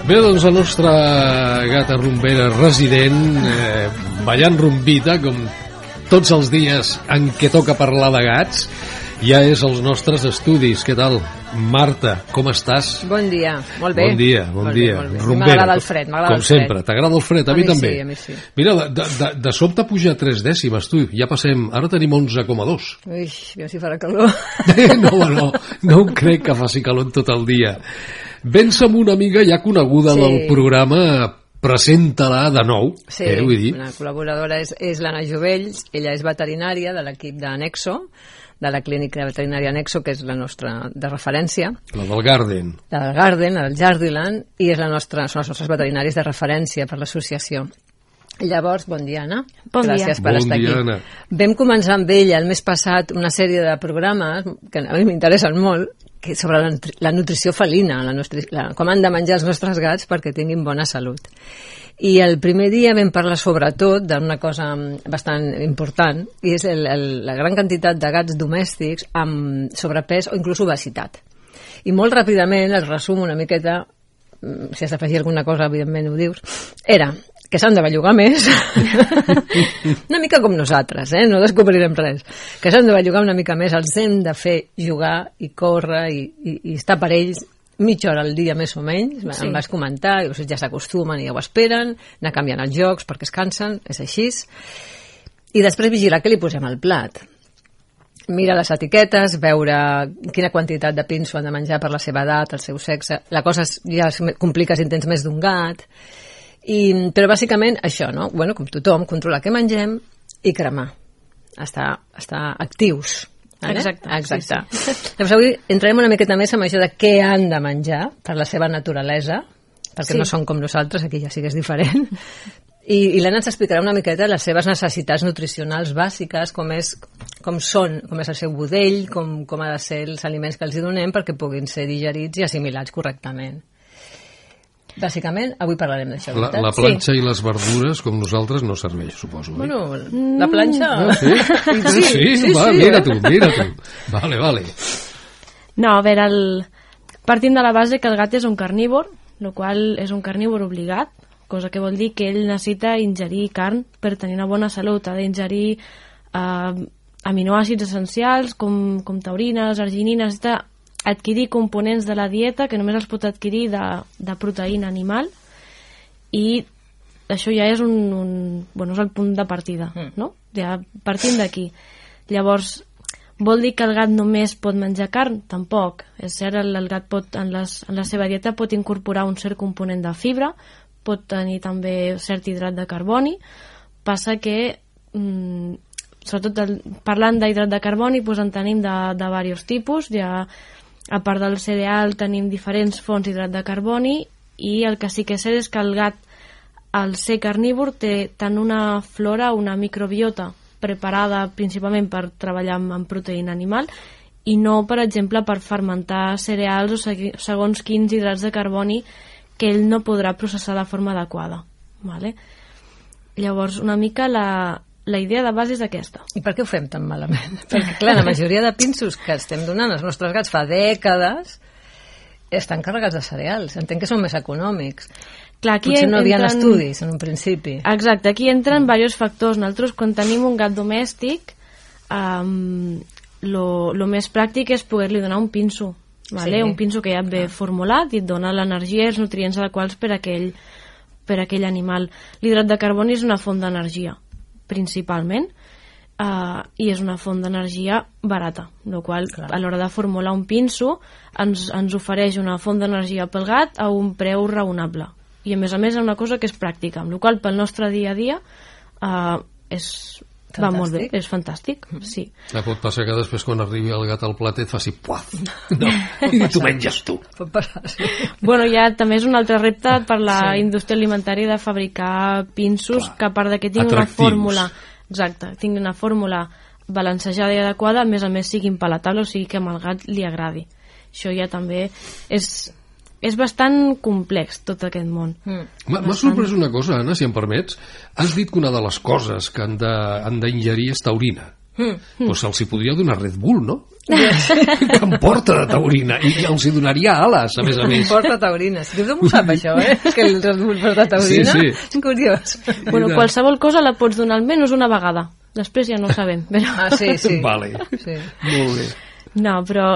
Bé, doncs la nostra gata rumbera resident, ballant rumbita, com tots els dies en què toca parlar de gats, ja és als nostres estudis. Què tal? Marta, com estàs? Bon dia, molt bé. Bon dia, bon dia. Rumbera, m'agrada el fred, m'agrada el fred. Com sempre, t'agrada el fred? A mi també. Sí, a mi sí. Mira, de sobte puja 3 dècimes, tu, ja passem, ara tenim 11,2. Ui, aviam si farà calor. No ho crec que faci calor tot el dia. Vens amb una amiga ja coneguda del programa, presenta-la de nou. Sí, vull dir. Una col·laboradora és l'Anna Jovells, ella és veterinària de l'equip d'Anexo, de la clínica veterinària Anexo, que és la nostra de referència. La del Garden. La del Garden, la del Jardiland, i són els nostres veterinaris de referència per l'associació. Llavors, bon dia, Anna. Bon dia. Gràcies per estar aquí. Anna. Vam començar amb ella el mes passat una sèrie de programes que a mi m'interessen molt, que sobre la nutrició felina, com han de menjar els nostres gats perquè tinguin bona salut. I el primer dia vam parlar sobretot d'una cosa bastant important, i és la gran quantitat de gats domèstics amb sobrepès o inclús obesitat. I molt ràpidament, el resum una miqueta, si has d'afegir alguna cosa, evidentment ho dius, era que s'han de bellugar més, una mica com nosaltres, no descobrirem res, que s'han de bellugar una mica més, els hem de fer jugar i córrer i estar per ells mitja hora al dia més o menys, sí. Em vas comentar, i ja s'acostumen i ja ho esperen, anar canviant els jocs perquè es cansen, és així, i després vigilar què li posem al plat. Mira les etiquetes, veure quina quantitat de pinso han de menjar per la seva edat, el seu sexe, la cosa ja es complica si en tens més d'un gat, però bàsicament això, no? Bueno, com tothom, controlar què mengem i cremar, estar actius. Exacte. Sí. Llavors avui entrarem una miqueta més amb això de què han de menjar per la seva naturalesa, perquè no són com nosaltres, aquí ja sí que és diferent, i l'Anna ens explicarà una miqueta les seves necessitats nutricionals bàsiques, com és el seu budell, com ha de ser els aliments que els donem perquè puguin ser digerits i assimilats correctament. Bàsicament, avui parlarem d'això. La planxa i les verdures, com nosaltres, no serveix, suposo. Bueno, la planxa... Sí, mira tu. Vale. No, a veure, partint de la base que el gat és un carnívor, el qual és un carnívor obligat, cosa que vol dir que ell necessita ingerir carn per tenir una bona salut. Ha d'ingerir aminoàcids essencials com taurines, arginines, adquirir components de la dieta que només els pot adquirir de proteïna animal, i això ja és és el punt de partida, no? Ja partint d'aquí. Llavors, vol dir que el gat només pot menjar carn? Tampoc. És cert, el gat en la seva dieta pot incorporar un cert component de fibra, pot tenir també cert hidrat de carboni. Passa que sobretot parlant d'hidrat de carboni, en tenim de diversos tipus. Ja a part del cereal tenim diferents fonts d'hidrat de carboni, i el que sí que és cert és que el gat, al ser carnívor, té tant una flora, una microbiota preparada principalment per treballar amb proteïna animal, i no, per exemple, per fermentar cereals o segons quins hidrats de carboni que ell no podrà processar de forma adequada. Vale? Llavors, una mica la idea de base és aquesta. I per què ho fem tan malament? Perquè, clar, la majoria de pinsos que estem donant als nostres gats fa dècades estan carregats de cereals. Entenc que són més econòmics. Clar, aquí potser no hi havia estudis en un principi. Exacte, aquí entren diversos factors. Nosaltres, quan tenim un gat domèstic, lo més pràctic és poder-li donar un pinso. Vale? Sí. Un pinso que ja ve formulat i et dona l'energia i els nutrients adequats per a aquell animal. L'hidrat de carboni és una font d'energia, principalment, i és una font d'energia barata, el qual a l'hora de formular un pinso ens ofereix una font d'energia pel gat a un preu raonable, i a més és una cosa que és pràctica, amb la qual pel nostre dia a dia és va molt bé, és fantàstic, sí. Pot passar que després quan arribi el gat al plat et faci puaf. No, i t'ho menges tu. Pot passar, sí. Bueno, ja també és un altre repte per la indústria alimentària de fabricar pinsos que a part de que tinguin una fórmula, exacte, tinguin una fórmula balancejada i adequada, a més siguin palatables, o sigui que al gat li agradi. Això ja també és bastant complex, tot aquest món. M'ha sorprès una cosa, Anna, si em permets. Has dit que una de les coses que han d'ingerir és taurina. Doncs se'ls hi podria donar Red Bull, no? Que em porta de taurina. I els hi donaria ales, a més. Em porta taurina. Si tothom ho sap, això, que el Red Bull porta taurina. Sí. És curiós. Bueno, qualsevol cosa la pots donar almenys una vegada. Després ja no ho sabem. Però... sí. Vale. Sí. Molt bé. No, però...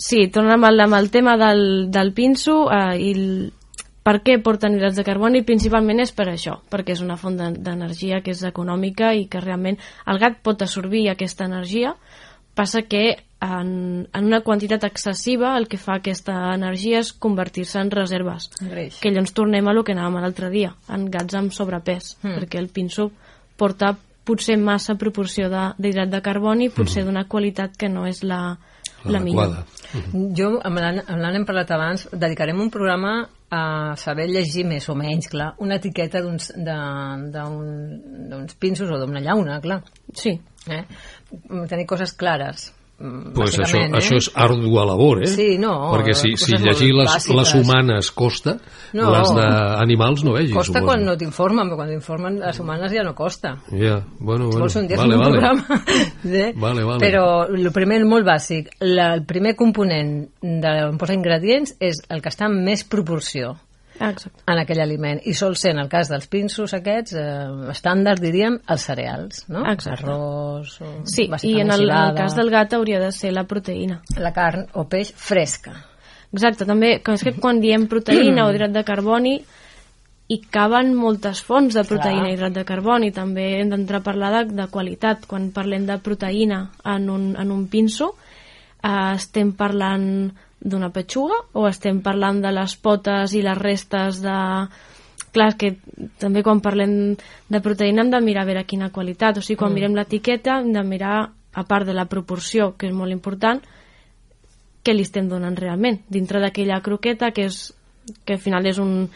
sí, tornem amb el tema del pinso i per què porten hidrats de carboni. Principalment és per això, perquè és una font d'energia que és econòmica i que realment el gat pot absorbir aquesta energia. Passa que en una quantitat excessiva el que fa aquesta energia és convertir-se en reserves, que llavors tornem a lo que anàvem l'altre dia, en gats amb sobrepès, perquè el pinso porta potser massa proporció d'hidrat de carboni, potser d'una qualitat que no és la millor. Jo, amb l'Anna hem parlat abans, dedicarem un programa a saber llegir més o menys, clar, una etiqueta d'uns pinsos o d'una llauna, clar. Sí. Tenir coses clares. Pues això és ardua labor, Sí, no. Perquè si llegir les humanes costa, les d'animals no vegis. Costa quan no t'informen, però quan t'informen les humanes ja no costa. Ja, bueno. Vols un dia fer un programa? Vale. Però el primer, molt bàsic, el primer component on posa ingredients és el que està en més proporció en aquell aliment, i sol ser, en el cas dels pinsos aquests, estàndard, diríem, els cereals, no? Arròs, sí, i en el cas del gat hauria de ser la proteïna. La carn o peix fresca. Exacte, també, és que quan diem proteïna o hidrat de carboni, hi caben moltes fonts de proteïna i hidrat de carboni. També hem d'entrar a parlar de qualitat. Quan parlem de proteïna en un pinso, estem parlant d'una petxuga o estem parlant de les potes i les restes de... Clar, que també quan parlem de proteïna hem de mirar a veure quina qualitat, o sigui, quan mirem l'etiqueta hem de mirar, a part de la proporció, que és molt important, què li estem donant realment dintre d'aquella croqueta, que al final és un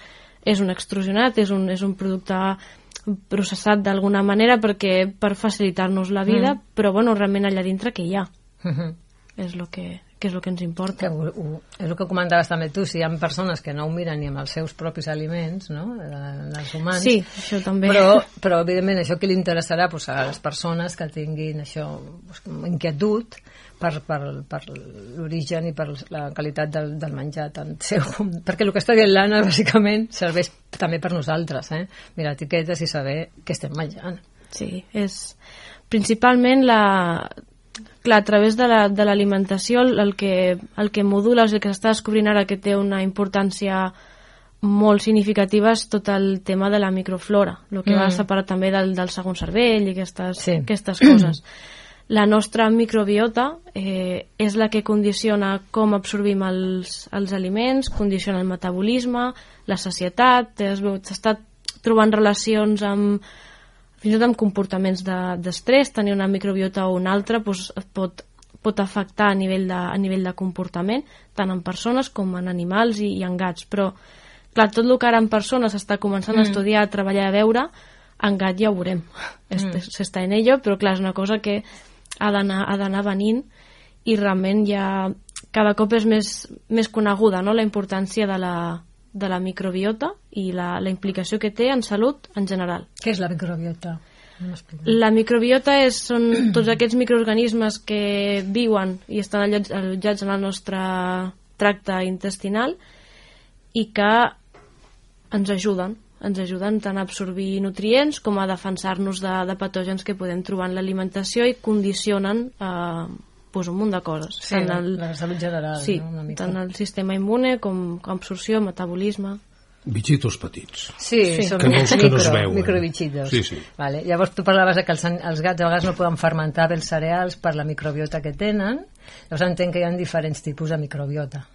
extrusionat, és un producte processat d'alguna manera per facilitar-nos la vida, però bueno, realment allà dintre què hi ha? És el que ens importa. És el que comentaves també tu, si hi ha persones que no ho miren ni amb els seus propis aliments, no?, els humans. Sí, això també. Però evidentment, això que li interessarà a les persones que tinguin això, inquietud per l'origen i per la qualitat del menjar tant seu, perquè el que està dient l'Anna bàsicament serveix també per nosaltres, mirar etiquetes i saber què estem menjant. Sí, és principalment clar, a través de l'alimentació el que modula, el que s'està descobrint ara que té una importància molt significativa és tot el tema de la microflora, el que va separar també del segon cervell i aquestes coses. La nostra microbiota és la que condiciona com absorbim els aliments, condiciona el metabolisme, la sacietat, s'està trobant relacions fins i tot amb comportaments d'estrès. Tenir una microbiota o una altra pot afectar a nivell de comportament, tant en persones com en animals i en gats. Però, clar, tot el que ara en persones s'està començant a estudiar, a treballar, a veure, en gat ja ho veurem. S'està en ello, però clar, és una cosa que ha d'anar venint i realment ja cada cop és més coneguda, no?, la importància de la microbiota i la implicació que té en salut en general. Què és la microbiota? La microbiota són tots aquests microorganismes que viuen i estan allotjats en el nostre tracte intestinal i que ens ajuden tant a absorbir nutrients com a defensar-nos de patògens que podem trobar en l'alimentació i condicionen un munt de coses. Sí, la salut general. Sí, no? tant el sistema immune com absorció, metabolisme. Bitxitos petits. Sí, són que no es veuen. Microbitxitos. Sí. Vale. Llavors tu parlaves que els gats a vegades no poden fermentar bé els cereals per la microbiota que tenen. Llavors entenc que hi ha diferents tipus de microbiota.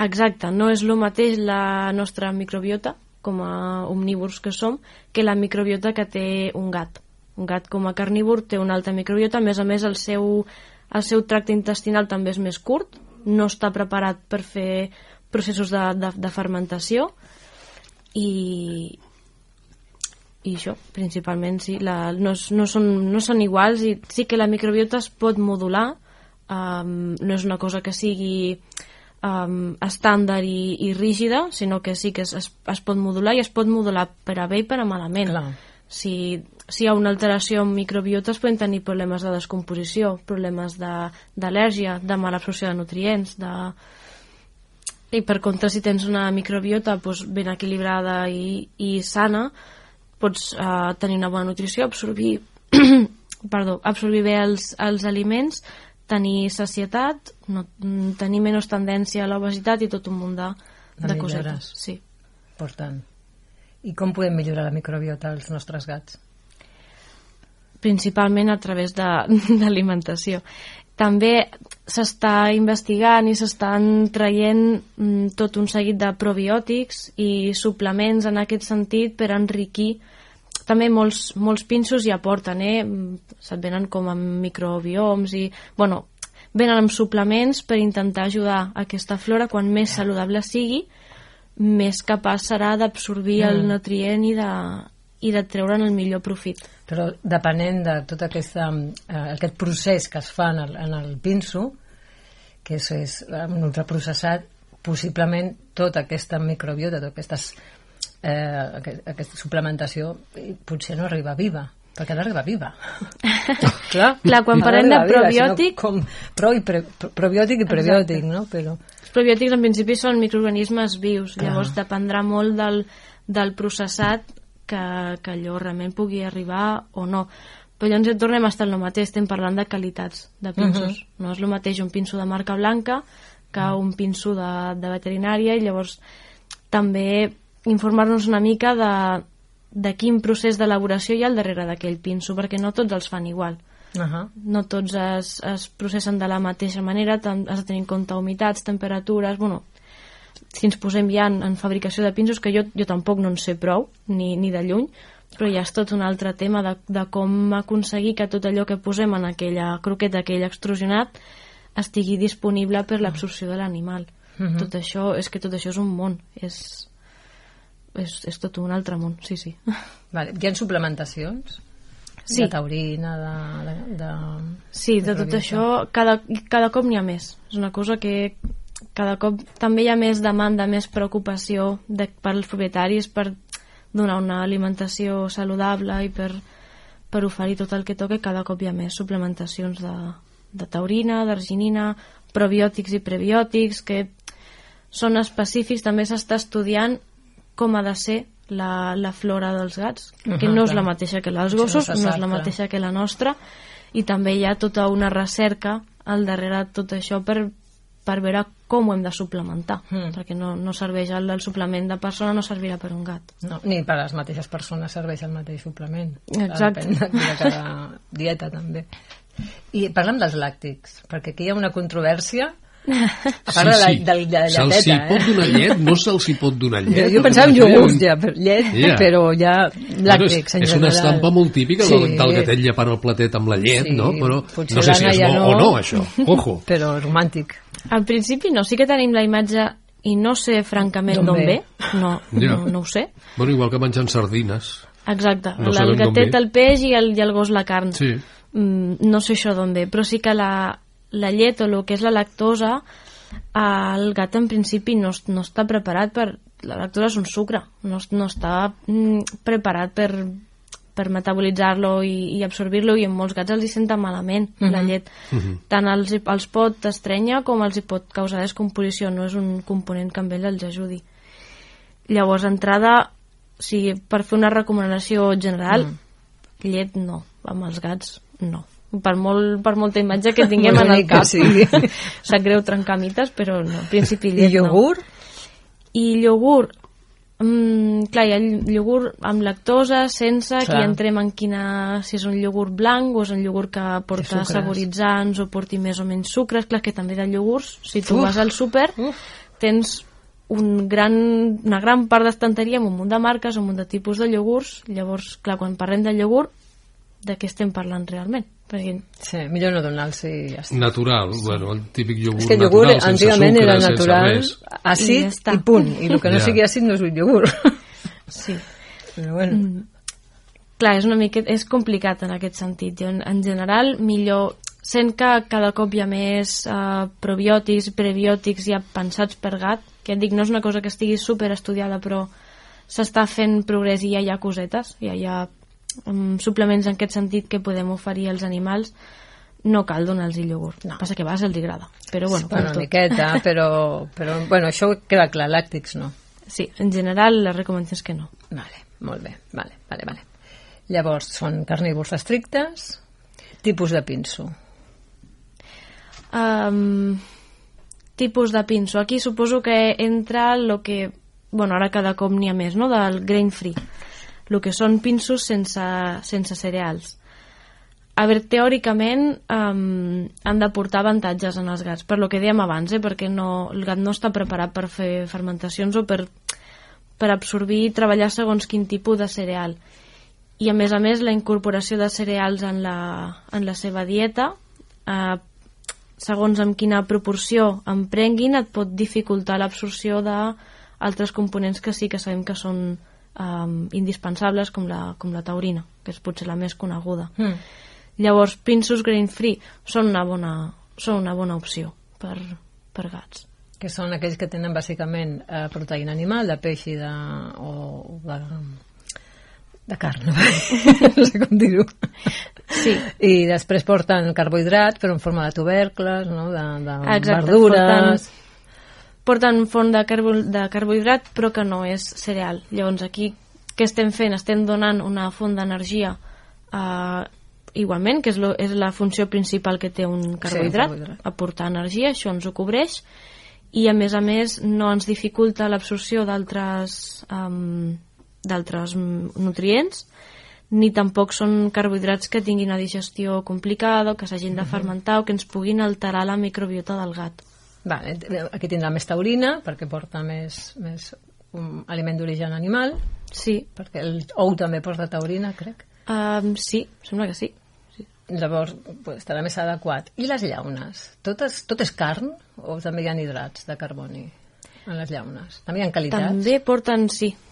Exacte, no és el mateix la nostra microbiota com a omnívors que som que la microbiota que té un gat. Un gat com a carnívor té una alta microbiota, a més, el seu tracte intestinal també és més curt, no està preparat per fer processos de fermentació i això, principalment, sí, no són iguals, i sí que la microbiota es pot modular, no és una cosa que sigui estàndard i rígida, sinó que sí que es pot modular, i es pot modular per a bé i per a malament. Clar. Si hi ha una alteració en microbiota es poden tenir problemes de descomposició, problemes d'al·lèrgia, de mala absorció de nutrients, i per contra, si tens una microbiota ben equilibrada i sana, pots tenir una bona nutrició, absorbir bé els aliments, tenir sacietat, tenir menys tendència a l'obesitat i tot un munt de cosetes. Sí. Important. I com podem millorar la microbiota als nostres gats? Principalment a través d'alimentació. També s'està investigant i s'estan traient tot un seguit de probiòtics i suplements en aquest sentit per enriquir. També molts pinsos hi aporten, se't venen com amb microbioms i, venen amb suplements per intentar ajudar aquesta flora, quan més saludable sigui, més capaç serà d'absorbir el nutrient i de treure'n el millor profit. Però depenent de tot aquest procés que es fa en el pinso, que és un ultraprocessat, possiblement tota aquesta microbiota, tota aquesta suplementació potser no arriba viva, perquè ha d'arribar viva. Clar, quan parlem de probiòtic... Probiòtic i prebiòtic, no? Els probiòtics en principi són microorganismes vius, llavors dependrà molt del processat que allò realment pugui arribar o no. Però llavors tornem a estar en el mateix, estem parlant de qualitats de pinsos. No és el mateix un pinso de marca blanca que un pinso de veterinària, i llavors també informar-nos una mica de quin procés d'elaboració hi ha al darrere d'aquell pinso, perquè no tots els fan igual. No tots es processen de la mateixa manera, has de tenir en compte humitats, temperatures... Si ens posem ja en fabricació de pinsos, que jo tampoc no en sé prou, ni de lluny, però ja és tot un altre tema de com aconseguir que tot allò que posem en aquella croqueta, aquell extrusionat, estigui disponible per l'absorció de l'animal. Tot això és un món, és tot un altre món, sí. Hi ha suplementacions? Sí. De taurina, Sí, de tot això cada cop n'hi ha més. És una cosa que cada cop també hi ha més demanda, més preocupació per als propietaris per donar una alimentació saludable i per oferir tot el que toca. Cada cop hi ha més suplementacions de taurina, d'arginina, probiòtics i prebiòtics que són específics. També s'està estudiant com ha de ser la flora dels gats, que no és la mateixa que les gossos, no és la mateixa que la nostra, i també hi ha tota una recerca al darrere de tot això per veure com ho hem de suplementar, perquè no serveix el suplement de persona, no servirà per un gat. No, ni per a les mateixes persones serveix el mateix suplement. Exacte. Depèn de cada dieta, també. I parlem dels làctics, perquè aquí hi ha una controvèrsia. Parla de lleteta. Se'ls hi pot donar llet? No se'ls hi pot donar llet? Jo pensava en iogurts, llet, però ja làctics en general. És una estampa molt típica del gatet llepant el platet amb la llet, no? Però no sé si és bo o no, això. Ojo. Però romàntic. Al principi no, sí que tenim la imatge i no sé francament d'on ve. No ho sé. Bueno, igual que menjant sardines. Exacte, el gatet el peix i el gos la carn. Sí. No sé això d'on ve, però sí que la llet o el que és la lactosa, el gat en principi no està preparat per... La lactosa és un sucre, no està preparat per metabolitzar-lo i absorbir-lo, i en molts gats els hi senta malament la llet. Tant els pot estrènyer com els hi pot causar descomposició, no és un component que amb ell els ajudi. Llavors, d'entrada, per fer una recomanació general, llet no, amb els gats no. Per molta imatge que tinguem en el cap. Sap greu trencar mites, però no, en principi llet no. I iogurt? I iogurt, clar, hi ha iogurt amb lactosa, sense, aquí entrem en si és un iogurt blanc o és un iogurt que porta saboritzants o porti més o menys sucres. Clar, que també de iogurts, si tu vas al súper, tens una gran part d'estanteria amb un munt de marques, un munt de tipus de iogurts. Llavors, clar, quan parlem de iogurt, de què estem parlant realment. Perquè... Sí, millor no donar-los i ja està. Natural, bueno, el típic iogurt és que el iogurt natural, sense antigament sucre, era sense natural, res. àcid i punt, i el que no sigui àcid no és un iogurt. Sí. Però bueno. Clar, és complicat en aquest sentit. Jo, en general, millor... Sent que cada cop hi ha més probiòtics, prebiòtics ja pensats per gat, que et dic, no és una cosa que estigui super estudiada, però s'està fent progrés i ja hi ha cosetes, ja hi ha suplements en aquest sentit que podem oferir als animals. No cal donar-los iogurt. No. Passa que a vegades els agrada. Però bueno, una miqueta, però bueno, això queda clar, làctics no. Sí, en general la recomanació és que no. Vale, molt bé, vale. Llavors, són carnívors estrictes, tipus de pinso. Tipus de pinso. Aquí suposo que entra el que... Bueno, ara cada cop n'hi ha més, no?, del grain free. El que són pinsos sense cereals. A veure, teòricament han de portar avantatges en els gats, per lo que dèiem abans, perquè el gat no està preparat per fer fermentacions o per absorbir i treballar segons quin tipus de cereal. I a més, la incorporació de cereals en la seva dieta, segons amb quina proporció en prenguin, et pot dificultar l'absorció d'altres components que sí que sabem que són indispensables, com la taurina, que és potser la més coneguda. Llavors, pinsos grain free són una bona opció per gats. Que són aquells que tenen bàsicament proteïna animal, de peix i de carn, no sé com dir-ho. Sí. I després porten carbohidrat, però en forma de tubercles, no? de exacte, verdures... Porten font de carbohidrat, però que no és cereal. Llavors, aquí, què estem fent? Estem donant una font d'energia igualment, que és la funció principal que té un carbohidrat, aportar energia, això ens ho cobreix, i a més no ens dificulta l'absorció d'altres nutrients, ni tampoc són carbohidrats que tinguin una digestió complicada o que s'hagin de fermentar o que ens puguin alterar la microbiota del gat. Vale, aquí tindrà més taurina perquè porta més aliment d'origen animal. Sí. Perquè el ou també porta taurina, crec. Sí, sembla que sí. Llavors estarà més adequat. I les llaunes? Tot és carn o també hi ha hidrats de carboni en les llaunes? També hi ha qualitats?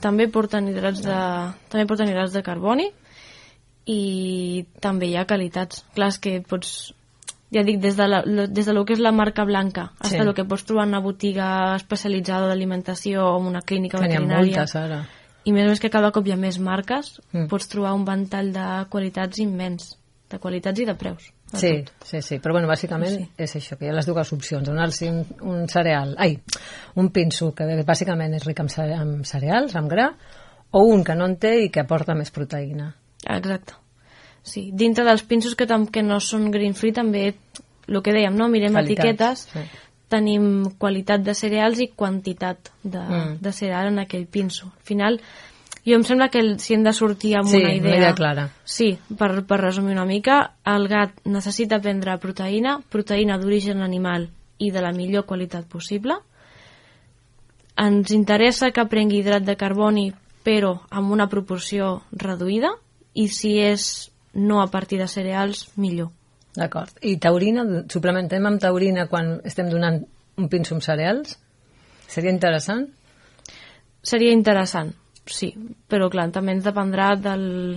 També porten hidrats de carboni i també hi ha qualitats. Clar, és que pots... Ja dic, des de lo que és la marca blanca fins a lo que pots trobar en una botiga especialitzada d'alimentació o en una clínica veterinària. N'hi ha moltes, ara. I més que cada cop hi ha més marques, pots trobar un ventall de qualitats immens, de qualitats i de preus. Sí, però bueno, bàsicament és això, que hi ha les dues opcions, donar-los un cereal, un pinso que bàsicament és ric en cereals, amb gra, o un que no en té i que aporta més proteïna. Exacte. Sí, dintre dels pinsos que no són grain free també, el que dèiem, no? Mirem etiquetes, tenim qualitat de cereals i quantitat de cereal en aquell pinso. Al final, jo em sembla que si hem de sortir amb una idea clara. Sí, per resumir una mica, el gat necessita prendre proteïna d'origen animal i de la millor qualitat possible. Ens interessa que prengui hidrat de carboni, però amb una proporció reduïda, i si és no a partir de cereals, millor. D'acord. I taurina, suplementem amb taurina quan estem donant un pinso amb cereals? Seria interessant? Seria interessant, sí, però clar, també ens dependrà del...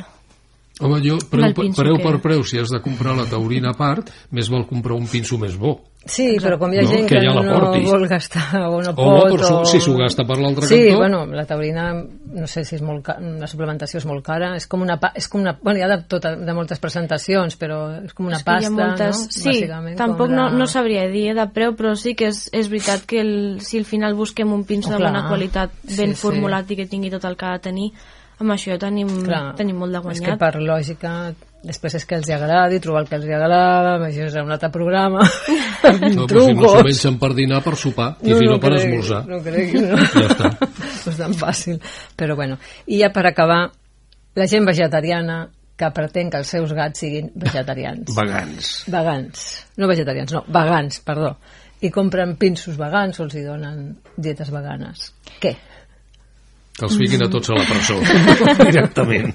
Home, preu per preu, si has de comprar la taurina a part, més val comprar un pinso més bo. Sí, però com hi ha gent que no vol gastar o no pot... Si s'ho gasta per l'altre cantó... Sí, bueno, la taurina, no sé si és molt cara, la suplementació és molt cara, és com una... Bueno, hi ha de moltes presentacions, però és com una pasta, no? Sí, tampoc no sabria dir de preu, però sí que és veritat que si al final busquem un pinso de bona qualitat, ben formulat i que tingui tot el que ha de tenir, amb això tenim molt de guanyat. És que per lògica... Després és que els agradi, trobar el que els agrada, això és un altre programa. No, però si no s'ho mengen per dinar, per sopar, i si no per esmorzar. No creguis, no. Ja està. No és tan fàcil. Però bueno, i ja per acabar, la gent vegetariana que pretén que els seus gats siguin vegetarians. Vegans. No vegetarians, no, vegans, perdó. I compren pinsos vegans o els hi donen dietes veganes. Què? Que els fiquin a tots a la presó, directament.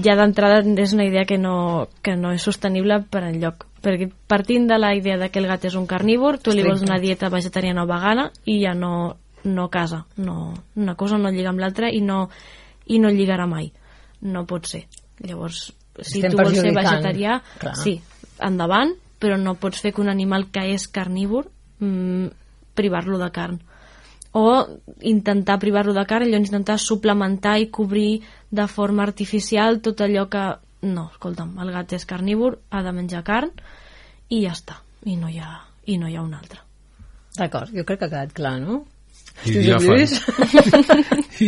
ja d'entrada és una idea que no és sostenible per enlloc, perquè partint de la idea que el gat és un carnívor, tu li vols una dieta vegetariana o vegana i ja no casa, una cosa no lliga amb l'altra i no lligarà mai, no pot ser. Llavors, si tu vols ser vegetarià, sí, endavant, però no pots fer que un animal que és carnívor privar-lo de carn, o intentar privar-lo de carn, llavors intentar suplementar i cobrir de forma artificial tot allò que... No, escolta'm, el gat és carnívor, ha de menjar carn i ja està, i no hi ha un altre. D'acord, jo crec que ha quedat clar, no? I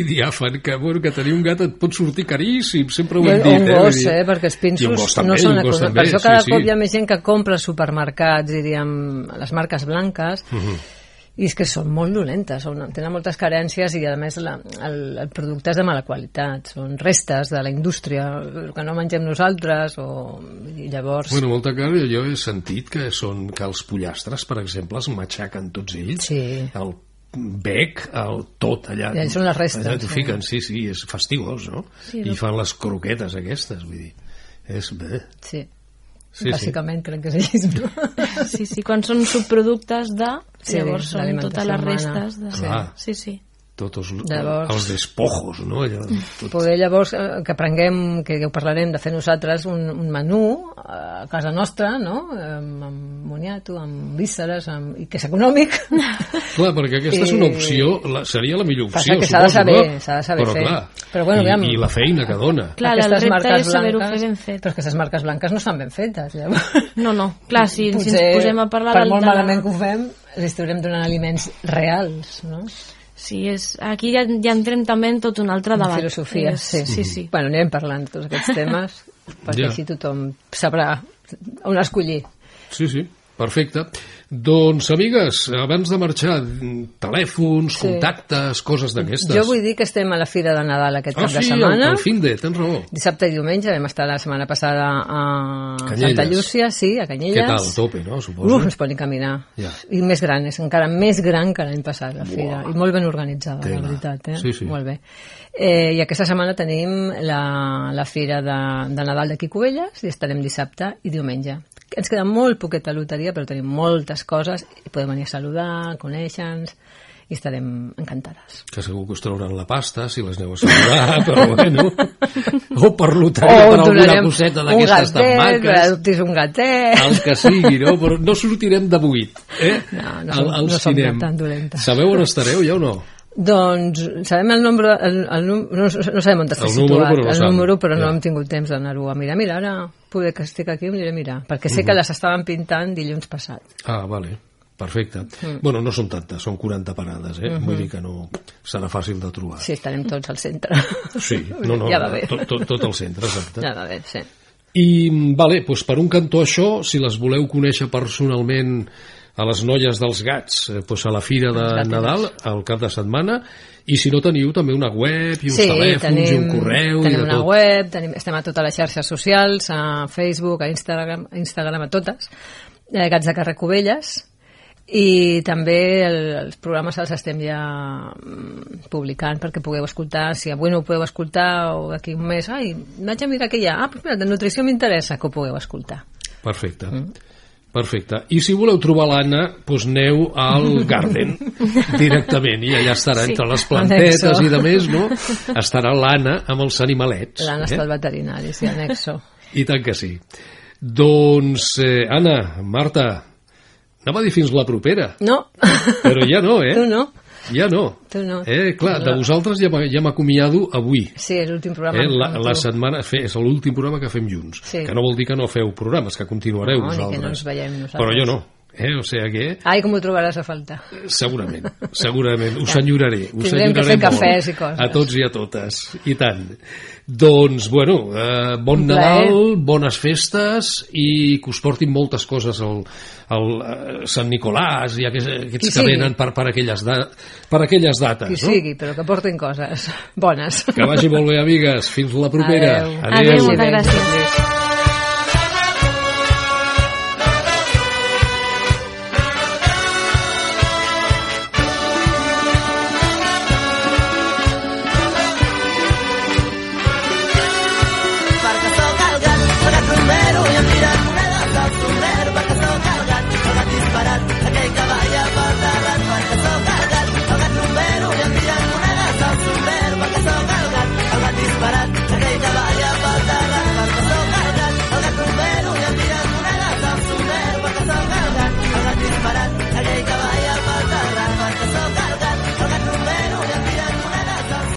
diàfan, que tenir un gat et pot sortir caríssim, sempre ho hem dit. Un gos, perquè els pinsos no són econòmics. Per això cada cop hi ha més gent que compra als supermercats, diríem, les marques blanques, i és que són molt dolentes, tenen moltes carències i a més el producte és de mala qualitat, són restes de la indústria que no mengem nosaltres i llavors... Bueno, molta cara, jo he sentit que els pollastres, per exemple, es matxaquen tots ells, el bec, tot allà. I són les restes. Allà t'ho fiquen, sí, és fastigós, no? I fan les croquetes aquestes, vull dir, és bé. Sí. Bàsicament crec que és així, no? Sí, quan són subproductes llavors són totes les restes sí. Tots els despojos, no? Poder llavors que aprenguem, que ho parlarem de fer nosaltres un menú a casa nostra, no? Amb moniato, amb vísceres, i que és econòmic. Clar, perquè aquesta és una opció, seria la millor opció, suposo, no? S'ha de saber fer. Però bueno, i la feina que dona. Clar, el repte és saber-ho fer ben fet. Però aquestes marques blanques no estan ben fetes, llavors. No, clar, si ens posem a parlar... Per molt malament que ho fem, els estarem donant aliments reals, no? Sí, aquí ja entrem també en tot un altre debat. Filosofia, sí. Bueno, anirem parlant de tots aquests temes, perquè així tothom sabrà on escollir. Sí, perfecte. Doncs, amigues, abans de marxar, telèfons, contactes, coses d'aquestes. Jo vull dir que estem a la Fira de Nadal aquest cap de setmana. Al fin de, tens raó. Dissabte i diumenge, vam estar la setmana passada a Santa Llúcia, a Canyelles. Què tal, a tope, no? Suposo. No es pot ni caminar. I més gran, és encara més gran que l'any passat, la Fira. I molt ben organitzada, la veritat. Sí. Molt bé. I aquesta setmana tenim la Fira de Nadal d'aquí Cubelles i estarem dissabte i diumenge. Ens queda molt poqueta loteria, però tenim moltes coses i podem venir a saludar, conèixer-nos i estarem encantades. Que segur que us trauran la pasta si les aneu a saludar, però bueno, o per loteria, per alguna coseta d'aquestes tan maques, un gatet, el que sigui, no? Però no sortirem de buit, no som tan dolentes. Sabeu on estareu ja o no? Doncs sabem el nombre, no sabem on està situat el número, però no hem tingut temps d'anar-ho a mirar. Mira, ara poder que estic aquí em aniré a mirar, perquè sé que les estaven pintant dilluns passat. Ah, vale, perfecte. Bueno, no són tantes, són 40 parades, vull dir que no serà fàcil de trobar. Sí, estarem tots al centre. Sí, tot al centre, exacte. Ja va bé, sí. I, vale, doncs per un cantó això, si les voleu conèixer personalment a les noies dels gats, a la Fira de Nadal, al cap de setmana, i si no teniu també una web i uns telèfons i un correu i de tot. Tenim una web, estem a totes les xarxes socials, a Facebook, a Instagram, a totes, Gats de Carrer Cubelles, i també els programes els estem ja publicant perquè pugueu escoltar, si avui no ho podeu escoltar o d'aquí un mes, vaig a mirar què hi ha, doncs mira, de nutrició m'interessa que ho pugueu escoltar. Perfecte. I si voleu trobar l'Anna, doncs aneu al Garden directament i allà estarà entre les plantetes i de més, no? Estarà l'Anna amb els animalets. L'Anna està al veterinari, sí, anexo. I tant que sí. Doncs, Anna, Marta, anava a dir fins la propera. No. Però ja no, Tu no. Ja no. Tu no. Clar, de vosaltres ja m'acomiado avui. Sí, és l'últim programa. La setmana és l'últim programa que fem junts. Sí. Que no vol dir que no feu programes, que continuareu vosaltres. No, ni que no ens veiem nosaltres. Però jo no. O sigui que... Ai, com ho trobaràs a faltar. Segurament. Us enyoraré. Tindrem que fer cafès i coses. A tots i a totes. I tant. Doncs, bueno, bon Nadal, bones festes i que us portin moltes coses al Sant Nicolàs i aquests que venen per aquelles dates. Qui sigui, però que portin coses bones. Que vagi molt bé, amigues. Fins la propera. Adéu, moltes gràcies.